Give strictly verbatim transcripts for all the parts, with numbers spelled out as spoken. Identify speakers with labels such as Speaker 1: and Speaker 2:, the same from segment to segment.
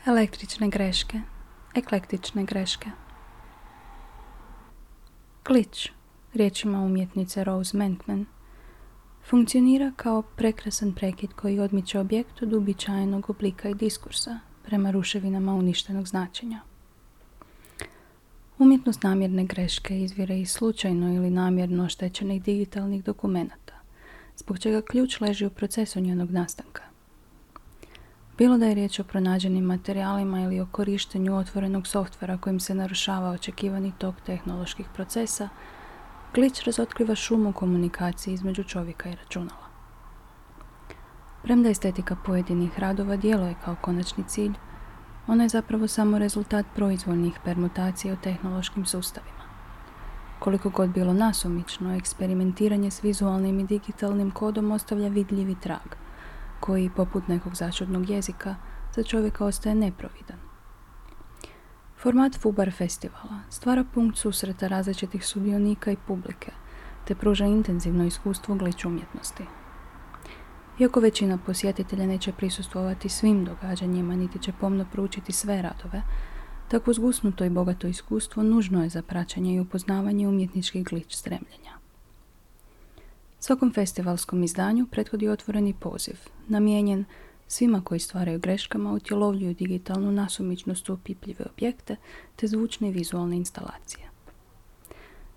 Speaker 1: Električne greške, eklektične greške. Glitch, riječima umjetnice Rose Mentman, funkcionira kao prekrasan prekid koji odmiče objekt od uobičajenog oblika i diskursa prema ruševinama uništenog značenja. Umjetnost namjerne greške izvire iz slučajno ili namjerno oštećenih digitalnih dokumenata, zbog čega ključ leži u procesu njenog nastanka. Bilo da je riječ o pronađenim materijalima ili o korištenju otvorenog softvera kojim se narušava očekivani tok tehnoloških procesa, glitch razotkriva šum u komunikaciji između čovjeka i računala. Premda estetika pojedinih radova djeluje kao konačni cilj, ona je zapravo samo rezultat proizvoljnih permutacija u tehnološkim sustavima. Koliko god bilo nasumično, eksperimentiranje s vizualnim i digitalnim kodom ostavlja vidljivi trag, koji, poput nekog začudnog jezika, za čovjeka ostaje neprovidan. Format Fubar festivala stvara punkt susreta različitih sudionika i publike, te pruža intenzivno iskustvo glitch umjetnosti. Iako većina posjetitelja neće prisustvovati svim događanjima, niti će pomno proučiti sve radove, takvo zgusnuto i bogato iskustvo nužno je za praćenje i upoznavanje umjetničkih glitch stremljenja. Svakom festivalskom izdanju prethodi otvoreni poziv, namijenjen svima koji stvaraju greškama, utjelovljuju digitalnu nasumičnost u opipljive objekte te zvučne i vizualne instalacije.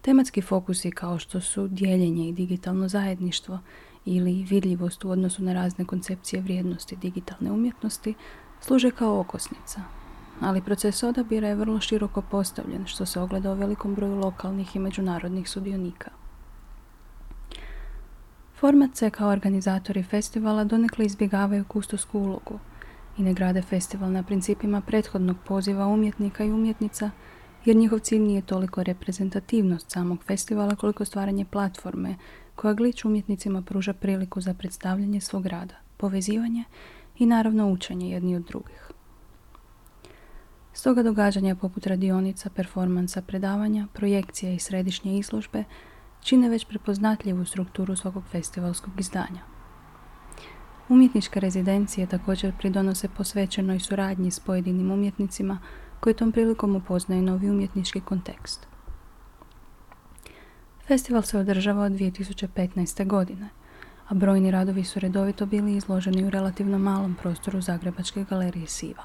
Speaker 1: Tematski fokusi kao što su dijeljenje i digitalno zajedništvo ili vidljivost u odnosu na razne koncepcije vrijednosti digitalne umjetnosti služe kao okosnica, ali proces odabira je vrlo široko postavljen, što se ogleda u velikom broju lokalnih i međunarodnih sudionika. Format C kao organizatori festivala donekle izbjegavaju kustosku ulogu i ne grade festival na principima prethodnog poziva umjetnika i umjetnica, jer njihov cilj nije toliko reprezentativnost samog festivala koliko stvaranje platforme koja glitch umjetnicima pruža priliku za predstavljanje svog rada, povezivanje i naravno učenje jedni od drugih. Stoga događanja poput radionica, performansa, predavanja, projekcija i središnje izložbe čine već prepoznatljivu strukturu svakog festivalskog izdanja. Umjetničke rezidencije također pridonose posvećenoj suradnji s pojedinim umjetnicima koji tom prilikom upoznaju novi umjetnički kontekst. Festival se održava od dvije tisuće petnaeste. godine, a brojni radovi su redovito bili izloženi u relativno malom prostoru Zagrebačke galerije Siva.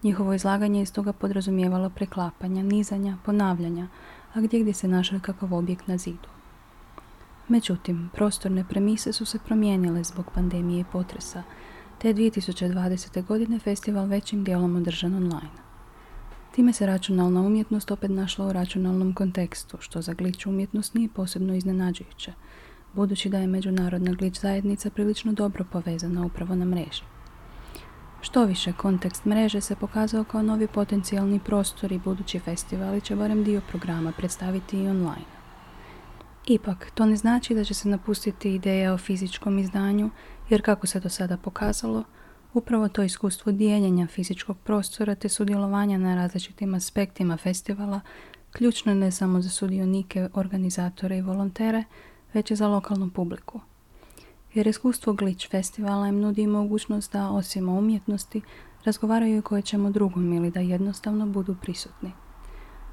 Speaker 1: Njihovo izlaganje je stoga podrazumijevalo preklapanja, nizanja, ponavljanja, a gdje gdje se našao kakav objekt na zidu. Međutim, prostorne premise su se promijenile zbog pandemije i potresa, te je dvije tisuće dvadesete. godine festival većim dijelom održan online. Time se računalna umjetnost opet našla u računalnom kontekstu, što za glitch umjetnost nije posebno iznenađujuće, budući da je međunarodna glitch zajednica prilično dobro povezana upravo na mreži. Što više, kontekst mreže se pokazao kao novi potencijalni prostor i budući festivali će barem dio programa predstaviti i online. Ipak, to ne znači da će se napustiti ideja o fizičkom izdanju, jer kako se do sada pokazalo, upravo to iskustvo dijeljenja fizičkog prostora te sudjelovanja na različitim aspektima festivala ključno je ne samo za sudionike, organizatore i volontere, već i za lokalnu publiku. Jer iskustvo glitch festivala im nudi mogućnost da, osim o umjetnosti, razgovaraju o koje čemu drugom ili da jednostavno budu prisutni.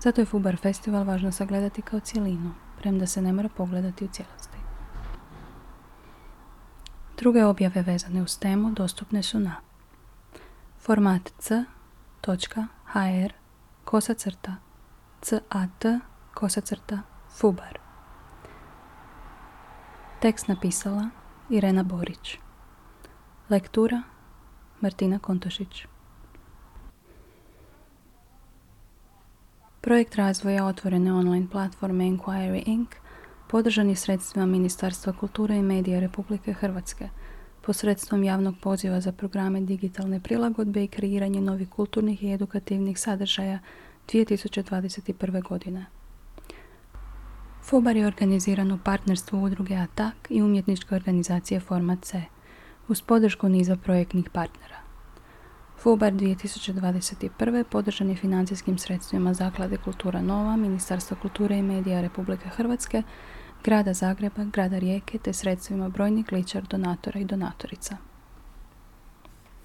Speaker 1: Zato je Fubar festival važno sagledati kao cjelinu, premda se ne mora pogledati u cijelosti. Druge objave vezane uz temu dostupne su na format c točka h r kosa crta cat kosa crta fubar. Tekst napisala Irena Borić. Lektura Martina Kontošić. Projekt razvoja otvorene online platforme Inquiry incorporated podržan je sredstvima Ministarstva kulture i medija Republike Hrvatske, posredstvom javnog poziva za programe digitalne prilagodbe i kreiranje novih kulturnih i edukativnih sadržaja dvije tisuće dvadeset prve. godine. Fubar je organiziran u partnerstvu udruge Atak i umjetničke organizacije Format C, uz podršku niza projektnih partnera. Fubar dvije tisuće dvadeset prve. podržan je financijskim sredstvima Zaklade Kultura Nova, Ministarstva kulture i medija Republike Hrvatske, Grada Zagreba, Grada Rijeke te sredstvima brojnih glitchar donatora i donatorica.